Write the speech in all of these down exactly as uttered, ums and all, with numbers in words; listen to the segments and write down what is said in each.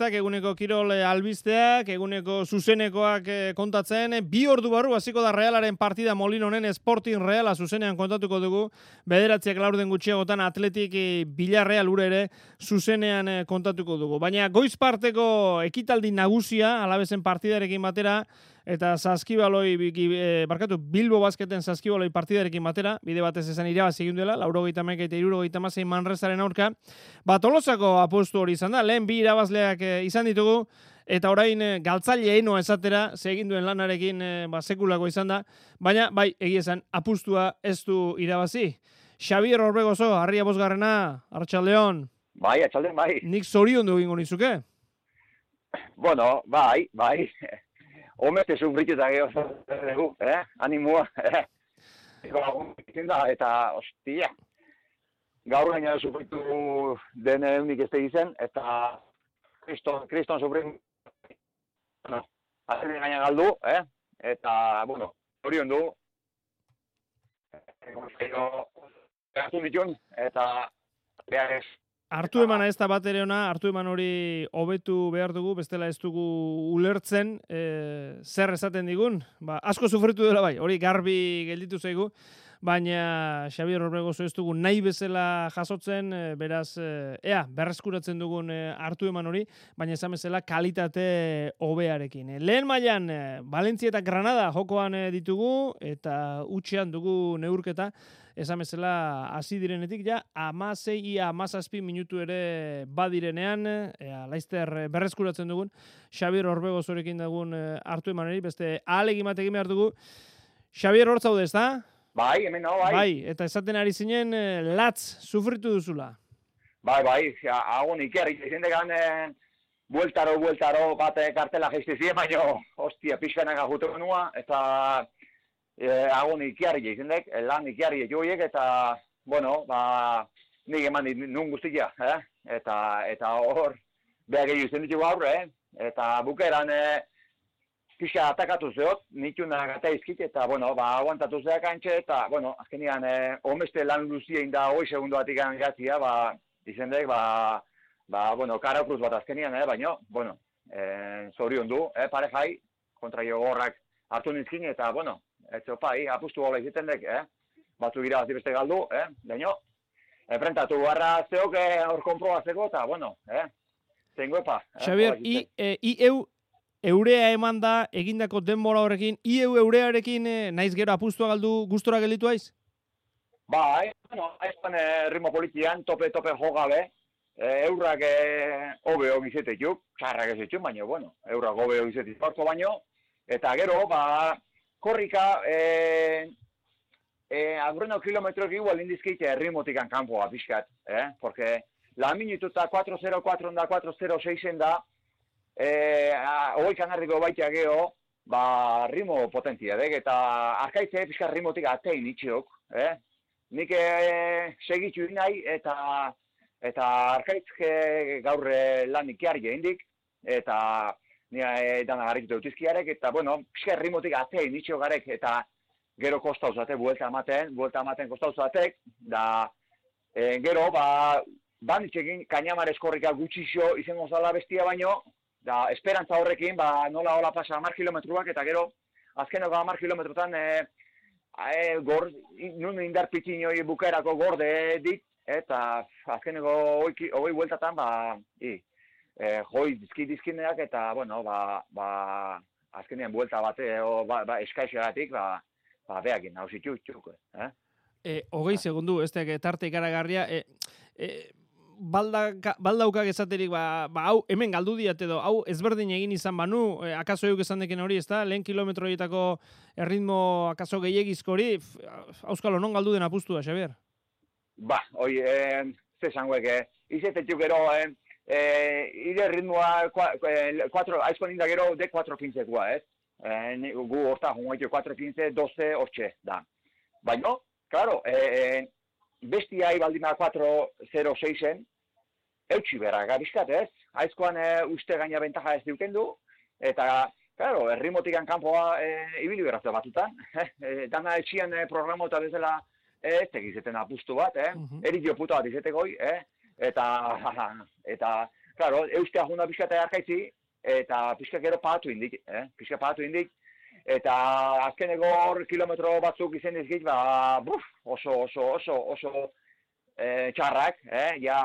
aktak, eguneko kirol albisteak, eguneko zuzenekoak kontatzen. Bi ordu barru hasiko da Realaren partida Molinonen Sporting Reala zuzenean kontatuko dugu. Bederatziak laurden gutxiagotan Atletik Villarreal ure ere zuzenean kontatuko dugu. Baina goiz parteko ekitaldi nagusia Alabezen partidarekin batera eta Saskibaloi, e, barkatu, Bilbo Basketen Saskibaloi partidarekin batera, bide batez esan irabazi egin duela, laurogeita hamaika eta hirurogeita hamasei Manresaren aurka. Ba, Tolosako apostu hori izan da, lehen bi irabazleak e, izan ditugu, eta orain e, galtzaile enoa esatera, segin duen lanarekin e, ba, sekulako izan da, baina, bai, egia esan, apustua ez du irabazi. Xabier Orbegozo, harria bosgarrena, Arratsaldeon. Bai, atxaldeon, bai. Nik zorion du egingo nizuke? Bueno, bai, bai. Homete sufritu eta geho, eh? Animua, eh? Eta, ostia, gaur gaina sufritu den eunik ez tegizen, eta kriston, kriston sufritu, bueno, azeren gaina galdu, eh? Eta, bueno, horion du, hartu ditun, eta behar ez. Hartu emana ez da bat ere ona, hartu eman hori hobetu behar dugu, bestela ez dugu ulertzen, e, zer esaten digun. Ba, asko sufritu dela bai, hori garbi gelditu zaigu, baina Xabier Orbegozo ez dugu nahi bezala jasotzen, e, beraz, e, ea, berreskuratzen dugun e, hartu eman hori, baina esan bezala kalitate hobearekin. E, lehen mailan e, Valentzia eta Granada jokoan e, ditugu, eta utxean dugu neurketa, esan bezala hasi direnetik ja hamasei ia hamazazpi minutu ere badirenean, ea, laizter berreskuratzen dugun Xabier Orbegozorekin dugun hartu emaneri, beste ahalegin bat egin behar dugu. Xabier, hor zaude, ezta? Bai, hemen no, bai. Bai, eta esaten ari zinen latz sufritu duzula. Bai, bai, agon ikerri, izendekan bueltaro, bueltaro, bat kartela geistizien, baina, hostia, pixkanak ajutu nua, eta Eh, agon ikiarri izendek, lan ikiarri joiek, eta, bueno, ba, nik eman nun guztia, eh? Eta, eta hor, behar gehiago izan ditugu aurre, eh? Eta bukeran, eh, pixka atakatu zeot, nituna gata izkit, eta, bueno, ba, aguantatu zeak antxe, eta, bueno, azkenian, eh, omeste lan luzien da, hoi segundu batik gatzia, ba, izendek, ba, ba, bueno, karakruz bat azkenian, eh? Baina, bueno, eh, zorion du, eh, parejai, kontra jo gorrak hartu nizkin, eta, bueno, ez opai, apustu gola iziten dek, eh? Batu gira bat beste galdu, eh? Daino, enfrentatu barra zeok hor konprobazeko, eta, bueno, eh? Zengo epa. Eh? Xabier, i, e, i eu eurea eman da egindako denbora horrekin, i eu eurearekin eh, naiz gero apustua galdu gustora gelditu aiz? Ba, eh, bueno, aizpan eh, ritmo politian, tope-tope jogabe, eh, eurrak hobe eh, hori izetetuk, txarrak ez etxun, baina, bueno, eurrak hobe hori izetetuk parko baino, eta gero, ba, korrika, eh, eh, agurreno kilometroak igual indizkite errimotikan kanpoa pixkat, eh? Porque la minututa cuatro cero cuatro da cuatro cero seis da, eh, hogei kanardiko baitea geho, ba, rimo potentzia dek, eta arkaitze pixkat rimotik atein itxiok, eh? Nik eh, segitzu nahi, eta, eta arkaitzke gaur lan ikiarri indik, eta nire e, dana garrikitu dutizkiarek, eta, bueno, pixka rimotik atein itxio garek, eta gero kostauzate, buelta amaten, buelta amaten kostauzatek, da, e, gero, ba, banitzekin kainamar eskorrika gutxixo izango zala bestia baino, da, esperantza horrekin, ba, nola hola pasa hamar kilometruak, eta gero, azkeneko hamar kilometrotan, e, e, gor, nun indar pitzinoi bukerako gorde dit, eta azkeneko hogei bueltatan, ba, i, Eh, joi dizki dizkineak eta, bueno, ba, ba, azkenean buelta bate, o, ba, ba, eskaixagatik, ba, ba, behakin, hau zitu, txuk, eh? E, hogei segundu, ez da, tarte ikaragarria, e, e, balda, baldaukak esaterik, ba, ba, hau, hemen galdu diat edo, hau ezberdin egin izan banu, e, akaso euk esan deken hori, ez da, lehen kilometro horietako erritmo akaso gehiagizko hori, auskalo, non galdu den apustua, Xabier? Ba, hoi, eh, ze zangoek, eh, izetetxuk ero, eh, Eh, ire ritmoa, aizko ninda gero, de cuatro quince-koa, ez? Eh, gu horta, jungoitu cuatro quince, doce, hortxe, da. Baina, claro, eh, bestia ibaldima cuatro cero seisen, eutxi berra gabizkat, ez? Aizkoan eh, uste gaina bentaja ez diuken du, eta, claro, errimotikan kanpoa eh, ibili berrazte batutan. eh, dana etxian eh, programo eta bezala ez tegizeten apustu bat, eh? Uh-huh. Erik jo puta bat izetekoi, eh? Eta, eta, Karo, eustea juna pixka eta arkaitzi, eta pixka gero pagatu indik, eh? Pixka pagatu indik, eta azkeneko hor kilometro batzuk izen dizkit, ba, buf, oso, oso, oso, oso eh, txarrak, eh? Ja,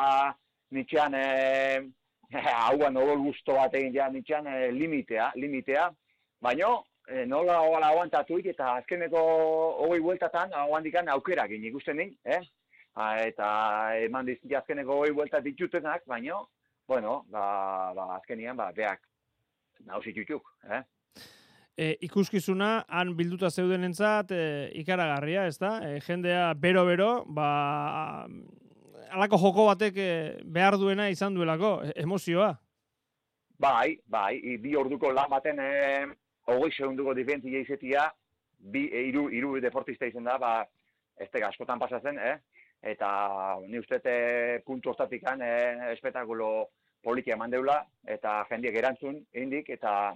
nitxean, eh, hauan odol guztu bat egin, ja, nitxean eh, limitea, limitea, baina, eh, nola hola aguantatuik, eta azkeneko hogei bueltatan, aguandikan aukerak ikusten din, eh? Ha, eta eman dizkit azkeneko hogei bueltat ditutenak, baina, bueno, ba, ba, azkenian, ba, beak, nausitutuk, eh? E, ikuskizuna, han bilduta zeudenentzat e, ikaragarria, ez da? E, jendea bero-bero, ba, alako joko batek e, behar duena izan duelako, e, emozioa. Bai, bai, i, bi orduko lan baten, e, hogei segunduko diferentzia izetia, bi, e, iru, iru deportista izan da, ba, ez tega askotan pasatzen, eh? Eta ni uste e, puntu hortatikan e, espetakulo politia eman deula, eta jendiek erantzun, indik, eta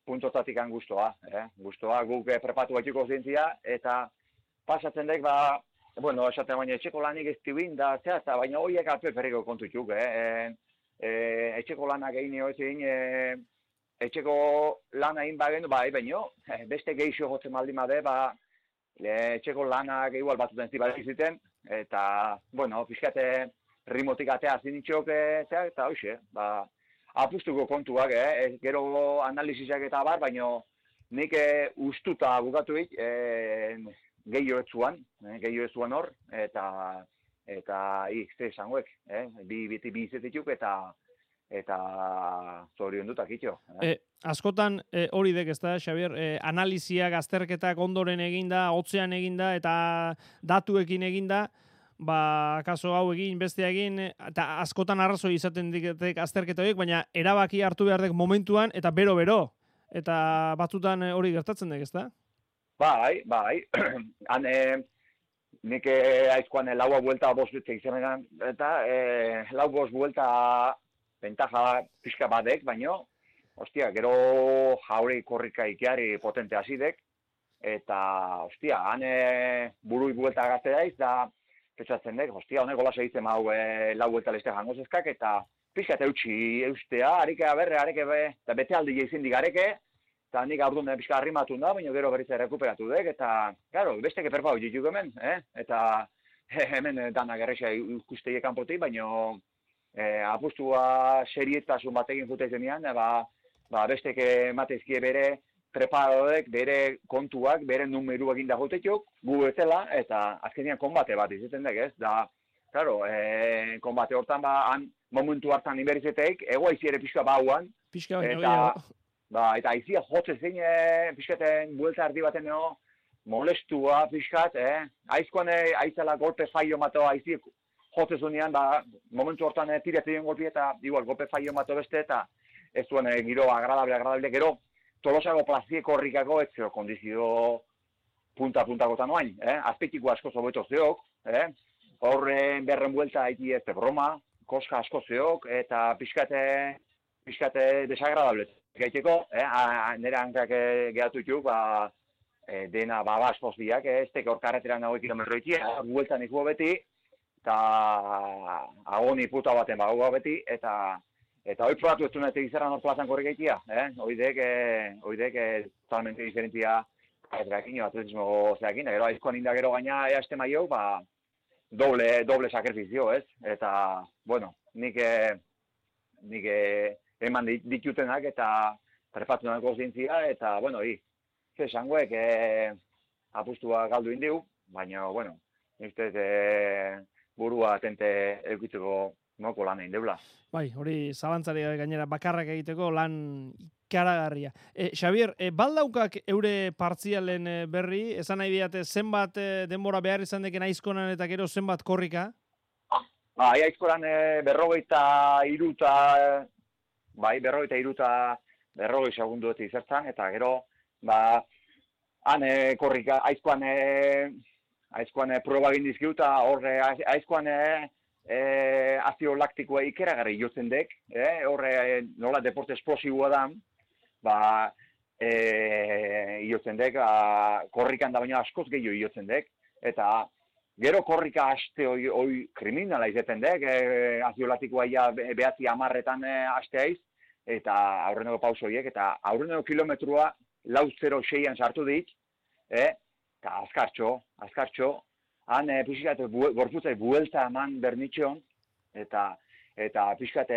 puntu hortatikan guztoa, eh? Guztoa, guk e, prepatu batxiko zintzia, eta pasatzen dek, ba, bueno, esaten baina etxeko lanik ez tibin, da, zera, eta baina horiek alpe perriko kontutuk, eh? E, e, etxeko lanak egin hori egin, e, etxeko lana egin bagen, bai, baino, beste geixo jotzen baldin bade, ba, etxeko lanak igual batuten zibalek ziten, eta, bueno, pixkate rimotik atea zinitxok, eta, eta hoxe, ba, apustuko kontuak, eh? Gero analizisak eta bar, baino nik e, ustuta bukatuik e, gehiago etzuan, eh? gehiago etzuan hor, eta, eta, ik, ze esangoek, eh? bi, bi, bi izetituk, eta, eta zorion dutak itxo. Eh? E, askotan e, hori dek, ez da, Xabier, e, analiziak, azterketak ondoren eginda, hotzean eginda, eta datuekin eginda, ba, kaso hau egin, bestea egin, eta askotan arrazoi izaten diketek azterketa horiek, baina erabaki hartu behar dek momentuan, eta bero-bero, eta batzutan hori gertatzen dek, ez da? Bai, bai, han, e, nik e, aizkoan e, laua buelta bost bitzek izanean, eta e, lau bost buelta bentaja pixka badek, baino, ostia, gero jaure korrika ikiari potente hazidek, eta, ostia, han e, burui buelta gazte daiz, da, petxatzen dek, ostia, honek gola segitzen hau e, lau buelta leste jango zezkak, eta pixka eta eutxi eustea, harike aberre, harike be, eta bete aldi jeizin digareke, eta nik aurdun pixka arrimatu da, baina gero berriz rekuperatu dek, eta, claro, beste keperpa hori dituk hemen, eh? Eta hemen danak errexea ikusteie kanpotik, baina E, apustua serietasun batekin jute zenean, ba, ba bestek emateizkie bere preparadodek, bere kontuak, bere numeruak inda jotetuk, gu ezela, eta azkenean konbate bat izaten dek, ez? Da, claro, e, konbate hortan, ba, han momentu hartan inberizeteik, ego aizi ere pixka bauan, pixka baino, eta, ba, eta aizia jotze zein, e, pixkaten buelta ardi baten eo, molestua pixkat, eh? Aizkoan e, aizela golpe faio mato aiziek, jotze zunean, ba, momentu hortan e, tiretzen golpi eta igual, golpe faio mato beste eta ez zuen e, giro agradable, agradable, gero tolosago plazieko horrikako ez zeo kondizio punta-puntako noain, eh? Azpetiko asko zobeto zeok, eh? Horren berren buelta haiti ez broma, koska asko zeok, eta pixkate, pixkate desagradable gaiteko, eh? A, nire hankak e, gehatu ituk, ba, e, dena baba aspozbiak, eh? Ez teke hor karretera nagoik kilometroitia, bueltan ikuo beti, eta agoni puta baten bagoa beti, eta eta hoi probatu ez duenetik izerran hor plazan korri gaitia, eh? Hoidek, eh, hoidek, eh, totalmente diferentzia atletismo, atletismo zeakin, gero aizkoan inda gero gaina easte maio, ba, doble, doble sakrifizio, ez? Eta, bueno, nik, eh, nik eh, eman ditutenak eta prepatu nahiko zintzia, eta, bueno, hi, ze esangoek, eh, apustua galdu indiu, baina, bueno, nik ez, eh, burua atente eukitzeko noko lan egin deula. Bai, hori zalantzari gainera bakarrak egiteko lan ikaragarria. E, Xabier, e, baldaukak eure partzialen berri, esan nahi diate zenbat e, denbora behar izan deken aizkonan eta gero zenbat korrika? Bai, aizkonan e, berrogeita iruta, bai, berrogeita iruta berrogei segundu ez izertzan, eta gero, ba, han e, korrika, aizkoan e, aizkoan e, proba egin dizkiu, eta horre aizkoan e, e, azio laktikoa ikeragarri jotzen dek, eh? Horre e, nola deporte esplosiboa da, ba, e, jotzen dek, a, korrikan da baina askoz gehiago jotzen dek, eta gero korrika haste hoi, hoi kriminala izaten dek, e, aziolatikoa ia behatzi amarretan e, haiz, eta aurreneko pausoiek, eta aurreneko kilometrua lau zero seian sartu dit, e, eta azkartxo, azkartxo, han e, pixkat gorputzai buelta eman bernitxeon, eta eta pixkat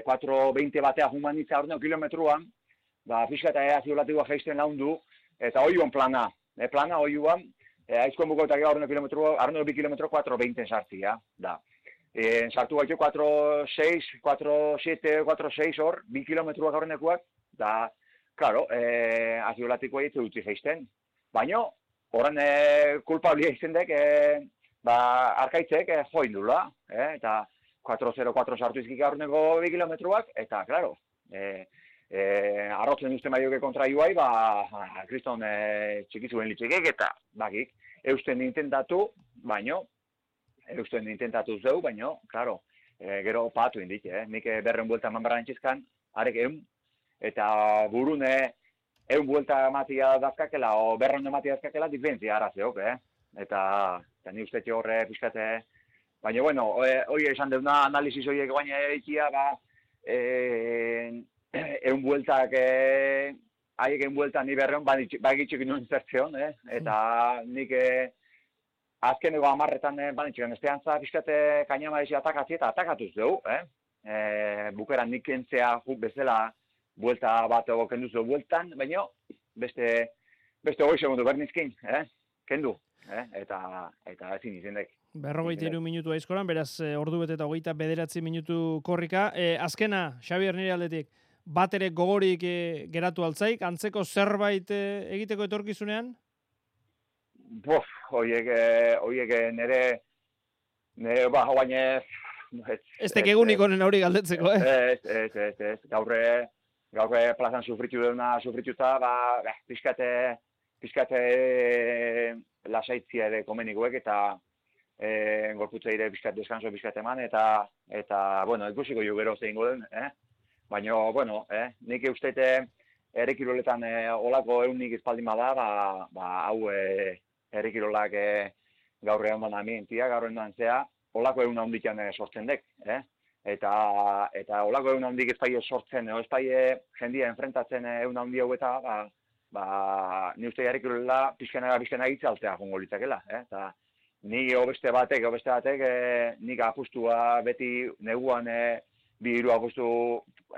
kuatro veinte batea humanitza aurreneko kilometruan, ba, pixkat aziolatikoa jaisten laundu, eta oiuan plana, e, plana oiuan, e, aizkoen buko eta aurreneko kilometru, aurreneko bi kilometro kuatro veinte sartia, da. E, sartu gaitu kuatro seis, kuatro siete, kuatro seis hor, bi kilometruak aurrenekoak, da, claro, e, aziolatikoa hitz utzi jaisten. Baina, horren e, kulpablia izten dek, e, ba, arkaitzek e, join dula, e, eta kuatro zero kuatro sartu izkik aurreneko bi kilometruak, eta, claro, e, e, arrotzen uste maioke kontra iuai, ba, kriston e, txikizuen litxekek, eta, bakik, eusten intentatu, baino, eusten intentatu zeu, baino, claro, e, gero patu indik, eh? Nik berren buelta eman barra nintxizkan, arek eun, eta burune eun buelta matia dazkakela, o berren matia dazkakela, diferentzia arazeok, eh? Eta, eta ni uste horre pixkate, baina, bueno, hoi esan deuna analizis horiek baina eikia, ba, e, eun bueltak, e, haiek eun bueltak ni berreon, bagitxik nuen zertzeon, eh? Eta nik e, azkeneko amarretan e, banitxik, esteantza pixkate kainama ezi atakatzi eta atakatuz dugu, eh? E, bukeran nik kentzea juk bezala buelta bat ego kendu zuen bueltan, baina beste, beste hori segundu bernizkin, eh? Kendu, eh? Eta, eta ezin izendek. Berrogeita hiru minutu aizkoran, beraz ordu bete eta hogeita bederatzi minutu korrika. E, azkena, Xabier nire aldetik, bat ere gogorik e, geratu altzaik, antzeko zerbait e, egiteko etorkizunean? Bof, hoiek, hoiek nire, nire, ba, baina... Ez tekegunik honen hori galdetzeko, eh? Ez, ez, ez, ez, gaurre, gaurre plazan sufritu dena, sufrituta, ba, pixkate, pixkate lasaitzia ere komenikoek, eta e, gorputzeire pixkat deskanso pixkat eman, eta, eta, bueno, ikusiko jo gero zein goden, eh? Baina, bueno, eh? Nik eustete errekiroletan e, olako eunik espaldin bada, ba, ba, hau e, errekirolak e, gaur egon da amientia, gaur egon zea, olako egun handikan e, sortzen dek, eh? Eta, eta olako egun handik ez paie sortzen, ez paie jendia enfrentatzen egun handi hau eta, ba, ba, ni uste errekirolela pixkanara pixkanara itzaltea jongo litzakela, eh? Eta, ni obeste batek, obeste batek, e, nik apustua beti neguan e, bi hiru apustu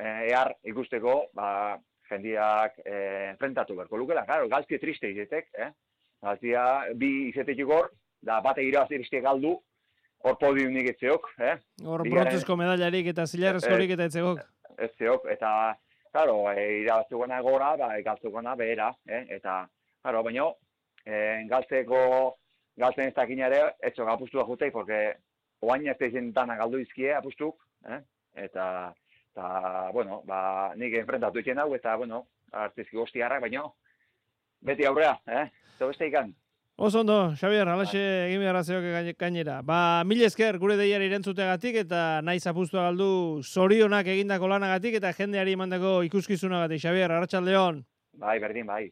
e, ehar ikusteko, ba, jendiak e, enfrentatu berko lukela. Claro, galtzie triste izetek, eh? Galtzia bi izetek igor, da bate irabazi triste galdu, hor podiumnik etzeok, eh? Hor brontzezko medallarik eta zilarrezkorik eta etzegok. Etzeok, eta, claro, e, irabaztukona gora, ba, galtzukona behera, eh? Eta, claro, baina, e, galtzeko galtzen ez dakin ere, etxok apustua jutei, porque oain ez teizen dana galdu izkie apustuk, eh? Eta, eta, bueno, ba, nik enfrentatu iken hau, eta, bueno, artizki goztiarrak, baina, beti aurrea, eh? Eta beste ikan. Oso ondo, Xabier, alaxe egin behar zeok gainera. Ba, mil esker gure deiari irentzuteagatik eta naiz apustua galdu zorionak egindako lanagatik eta jendeari emandako ikuskizunagatik. Xabier, arratsaldeon. Bai, berdin, bai.